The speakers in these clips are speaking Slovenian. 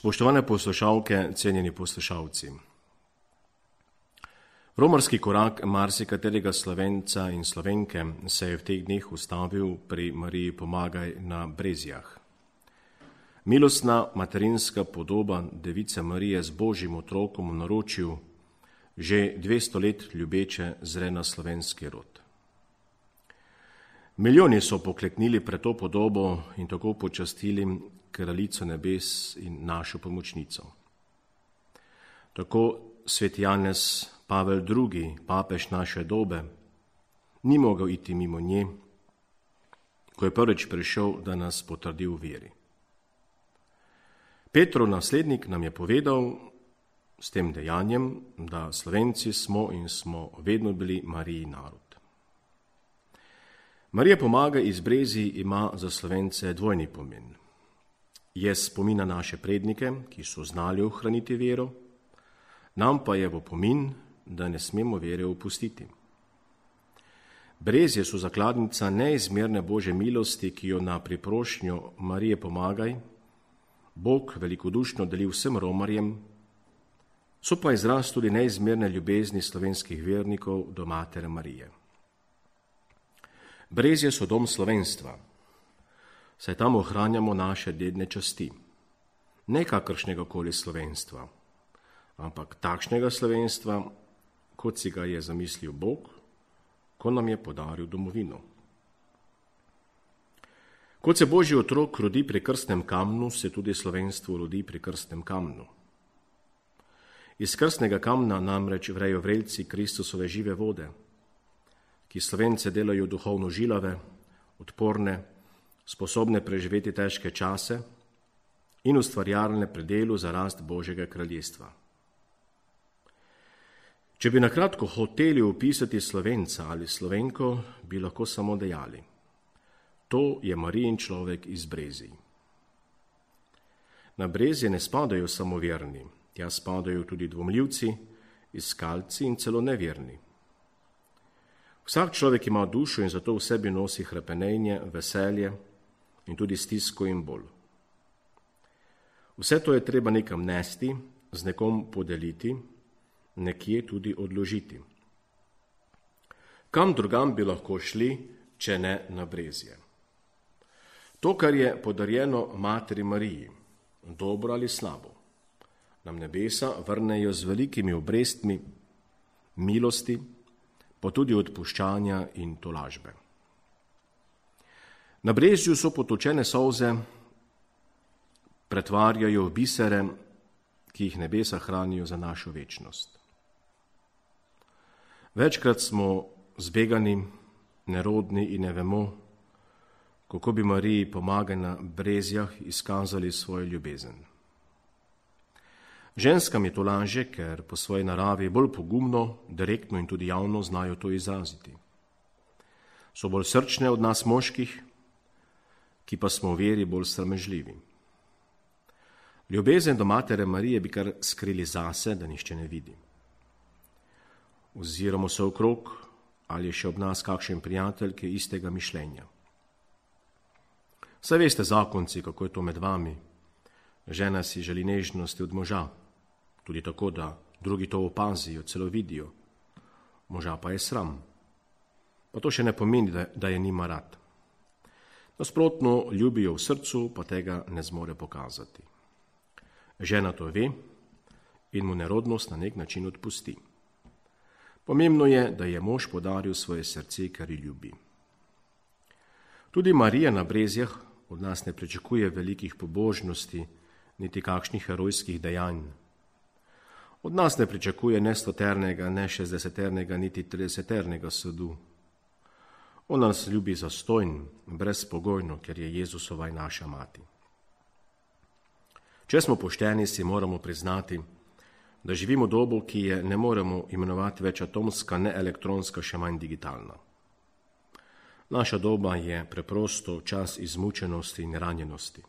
Spoštovane poslušalke, cenjeni poslušalci. Romarski korak marsikaterega Slovenca in Slovenke se je v teh dneh ustavil pri Mariji Pomagaj na Brezjah. Milostna materinska podoba Device Marije z Božjim otrokom v naročju že 200 let ljubeče zre na slovenski rod. Milijoni so pokleknili pred to podobo in tako počastili Kraljico nebes in našo pomočnico. Tako sveti Janez Pavel II, papež naše dobe, ni mogel iti mimo nje, ko je prvič prišel, da nas potrdi v veri. Petrov naslednik nam je povedal s tem dejanjem, da Slovenci smo in smo vedno bili Marijin narod. Marija Pomagaj iz Brezij ima za Slovence dvojni pomen. Je spomin na naše prednike, ki so znali ohraniti vero, nam pa je v opomin, da ne smemo vere opustiti. Brezje so zakladnica neizmerne Božje milosti, ki jo na priprošnjo Marije Pomagaj Bog velikodušno deli vsem romarjem, so pa izraz tudi neizmerne ljubezni slovenskih vernikov do Matere Marije. Brezje so dom slovenstva, saj tam ohranjamo naše dedne časti, ne kakršnega koli slovenstva, ampak takšnega slovenstva, kot si ga je zamislil Bog, ko nam je podaril domovino. Kot se Božji otrok rodi pri krstnem kamnu, se tudi slovenstvo rodi pri krstnem kamnu. Iz krstnega kamna namreč vrejo vrelci Kristusove žive vode, ki Slovence delajo duhovno žilave, odporne, sposobne preživeti težke čase in ustvarjalne pri delu za rast Božjega kraljestva. Če bi nakratko hoteli opisati Slovenca ali Slovenko, bi lahko samo dejali: to je Marijin človek iz Brezij. Na Brezje ne spadajo samo verni, tja spadajo tudi dvomljivci, iskalci in celo neverni. Vsak človek ima dušo in zato v sebi nosi hrepenenje, veselje in tudi stisko in bolj. Vse to je treba nekam nesti, z nekom podeliti, nekje tudi odložiti. Kam drugam bi lahko šli, če ne na Brezje? To, kar je podarjeno Materi Mariji, dobro ali slabo, nam nebesa vrnejo z velikimi obrestmi milosti, pa tudi odpuščanja in tolažbe. Na Brezju so potočene solze pretvarjajo v bisere, ki jih nebesa hranijo za našo večnost. Večkrat smo zbegani, nerodni in ne vemo, kako bi Mariji Pomagaj na Brezjah izkazali svojo ljubezen. Ženskam je to lažje, ker po svoji naravi bolj pogumno, direktno in tudi javno znajo to izraziti. So bolj srčne od nas moških, ki pa smo v veri bolj sramežljivi. Ljubezen do Matere Marije bi kar skrili zase, da nihče ne vidi. Oziramo se okrog, ali je še ob nas kakšen prijatelj, ki je istega mišljenja. Saj veste, zakonci, kako je to med vami. Žena si želi nežnosti od moža, tudi tako, da drugi to opazijo, celo vidijo. Moža pa je sram. Pa to še ne pomeni, da je nima rad. Nasprotno, ljubijo v srcu, pa tega ne zmore pokazati. Žena to ve in mu nerodnost na nek način odpusti. Pomembno je, da je mož podaril svoje srce, kar ji ljubi. Tudi Marija na Brezjah od nas ne pričakuje velikih pobožnosti, niti kakšnih herojskih dejanj. Od nas ne pričakuje ne 100-ternega, ne 60-ternega, niti 30-ternega sadu. On nas ljubi zastojn, brezpogojno, ker je Jezusova in naša mati. Če smo pošteni, si moramo priznati, da živimo dobo, ki je ne moremo imenovati več atomska, ne elektronska, še manj digitalna. Naša doba je preprosto čas izmučenosti in ranjenosti.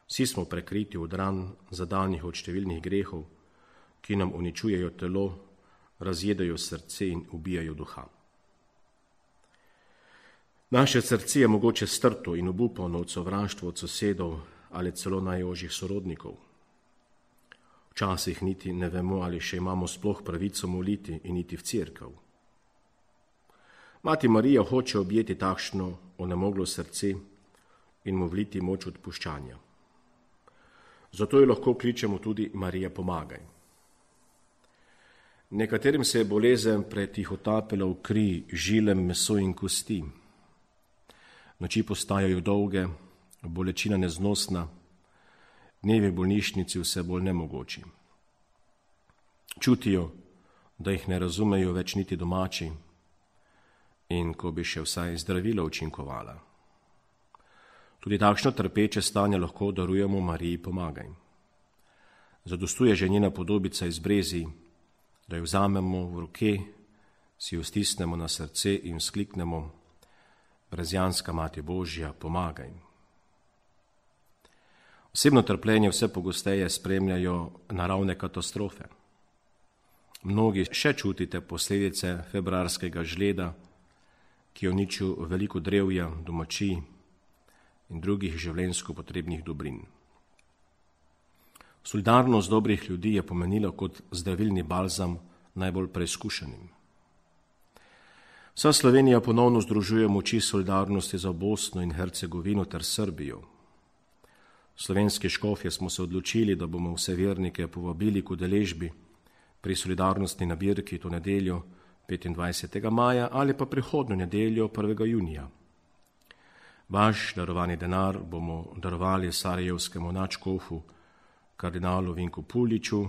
Vsi smo prekriti od ran, zadanih od številnih grehov, ki nam uničujejo telo, razjedajo srce in ubijajo duha. Naše srce je mogoče strto in obupano od sovraštva od sosedov, ali celo najožjih sorodnikov. Včasih niti ne vemo, ali še imamo sploh pravico moliti in iti v cerkev. Mati Marija hoče objeti takšno onemoglo srce in mu vliti moč odpuščanja. Zato jo lahko kličemo tudi Marija, pomagaj. Nekaterim se je bolezen pretihotapila v kri, žile, meso in kosti. Noči postajajo dolge, bolečina neznosna, dnevi v bolnišnici vse bolj nemogoči. Čutijo, da jih ne razumejo več niti domači in ko bi še vsaj zdravila učinkovala. Tudi takšno trpeče stanje lahko darujemo Mariji, pomagaj. Zadostuje že njena podobica iz brezij, da jo vzamemo v roke, si jo stisnemo na srce in vzkliknemo: Brezjanska Mati Božja, pomagaj. Osebno trpljenje vse pogosteje spremljajo naravne katastrofe. Mnogi še čutite posledice februarskega žleda, ki je uničil veliko drevja, domačij in drugih življenjsko potrebnih dobrin. Solidarnost dobrih ljudi je pomenila kot zdravilni balzam najbolj preizkušenim. Vsa Slovenija ponovno združuje moči solidarnosti za Bosno in Hercegovino ter Srbijo. Slovenski škofje smo se odločili, da bomo vse vernike povabili k udeležbi pri solidarnostni nabirki to nedeljo 25. maja ali pa prihodnjo nedeljo 1. junija. Vaš darovani denar bomo darovali sarajevskemu nadškofu kardinalu Vinku Puliču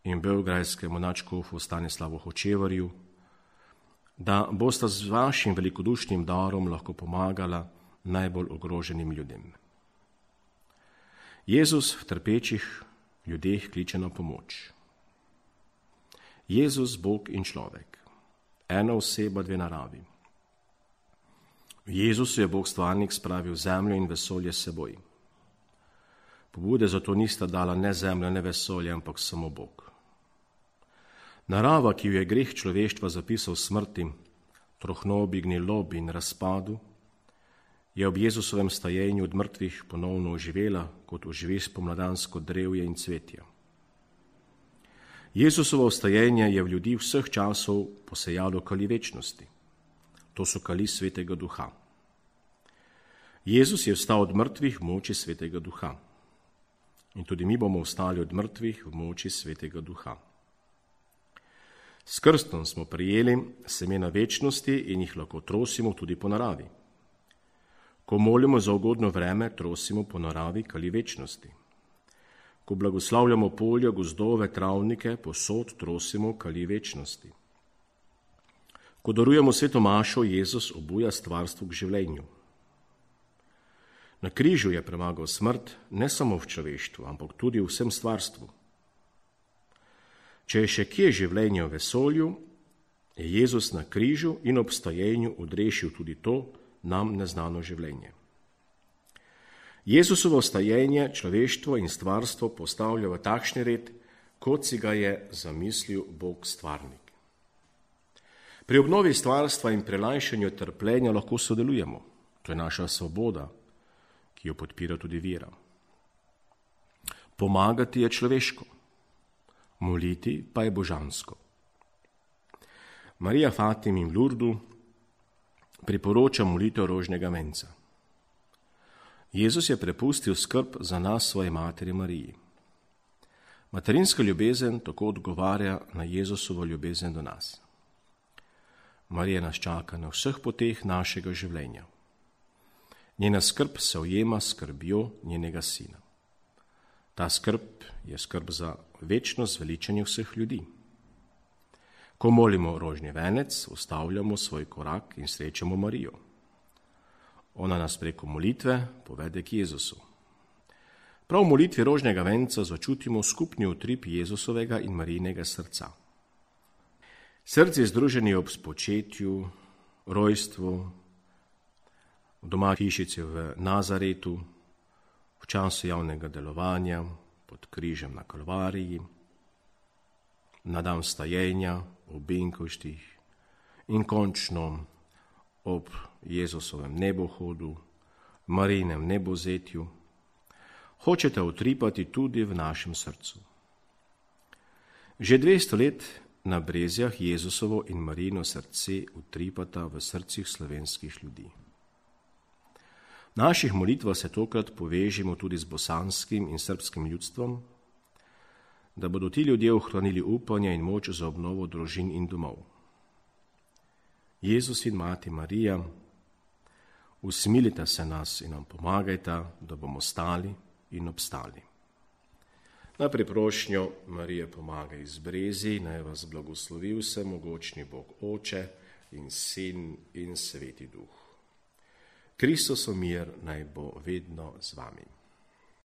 in beograjskemu nadškofu Stanislavu Hočevarju, da bosta z vašim velikodušnim darom lahko pomagala najbolj ogroženim ljudem. Jezus v trpečih ljudeh kliče na pomoč. Jezus, Bog in človek, ena oseba, dve naravi. V Jezusu je Bog stvarnik spravil zemljo in vesolje s seboj. Pobude zato nista dala ne zemlja, ne vesolje, ampak samo Bog. Narava, ki jo je greh človeštva zapisal smrti, trohnobi, gnilobi in razpadu, je ob Jezusovem stajenju od mrtvih ponovno oživela, kot oživi spomladansko drevje in cvetje. Jezusovo vstajenje je v ljudi vseh časov posejalo kali večnosti. To so kali Svetega Duha. Jezus je vstal od mrtvih v moči Svetega Duha. In tudi mi bomo vstali od mrtvih v moči Svetega Duha. S krstom smo prijeli semena večnosti in jih lahko trosimo tudi po naravi. Ko molimo za ugodno vreme, trosimo po naravi kali večnosti. Ko blagoslavljamo polja, gozdove, travnike, posod trosimo kali večnosti. Ko darujemo sveto mašo, Jezus obuja stvarstvo k življenju. Na križu je premagal smrt ne samo v človeštvu, ampak tudi v vsem stvarstvu. Če je še kje življenje v vesolju, je Jezus na križu in ob stajenju odrešil tudi to nam neznano življenje. Jezusovo stajenje človeštvo in stvarstvo postavlja v takšni red, kot si ga je zamislil Bog stvarnik. Pri obnovi stvarstva in prelajšanju trpljenja lahko sodelujemo. To je naša svoboda, ki jo podpira tudi vera. Pomagati je človeško, moliti pa je božansko. Marija Fatimi v Lurdu priporoča molitev rožnega venca. Jezus je prepustil skrb za nas svoji materi Mariji. Materinska ljubezen tako odgovarja na Jezusovo ljubezen do nas. Marija nas čaka na vseh poteh našega življenja. Njena skrb se ujema s skrbjo njenega sina. Ta skrb je skrb za večno zveličanje vseh ljudi. Ko molimo rožni venec, ustavljamo svoj korak in srečamo Marijo. Ona nas preko molitve povede k Jezusu. Prav v molitvi rožnega venca začutimo skupni utrip Jezusovega in Marijinega srca. Srce je združeno ob spočetju, rojstvu, v doma hišici v Nazaretu, v času javnega delovanja, pod križem na Kalvariji, na dan vstajenja, v Benkovštih in končno ob Jezusovem nebohodu, Marijinem nebozetju. hočete utripati tudi v našem srcu. Že 200 let na Brezjah Jezusovo in Marijino srce utripata v srcih slovenskih ljudi. V naših molitvah se tokrat povežimo tudi z bosanskim in srbskim ljudstvom, da bodo ti ljudje ohranili upanje in moč za obnovo družin in domov. Jezus in Mati Marija, usmilite se nas in nam pomagajta, da bomo stali in obstali. Na priprošnjo Marije pomagaj iz Brezij, naj vas blagoslovi vsemogočni Bog Oče in Sin in Sveti Duh. Kristusov mir naj bo vedno z vami.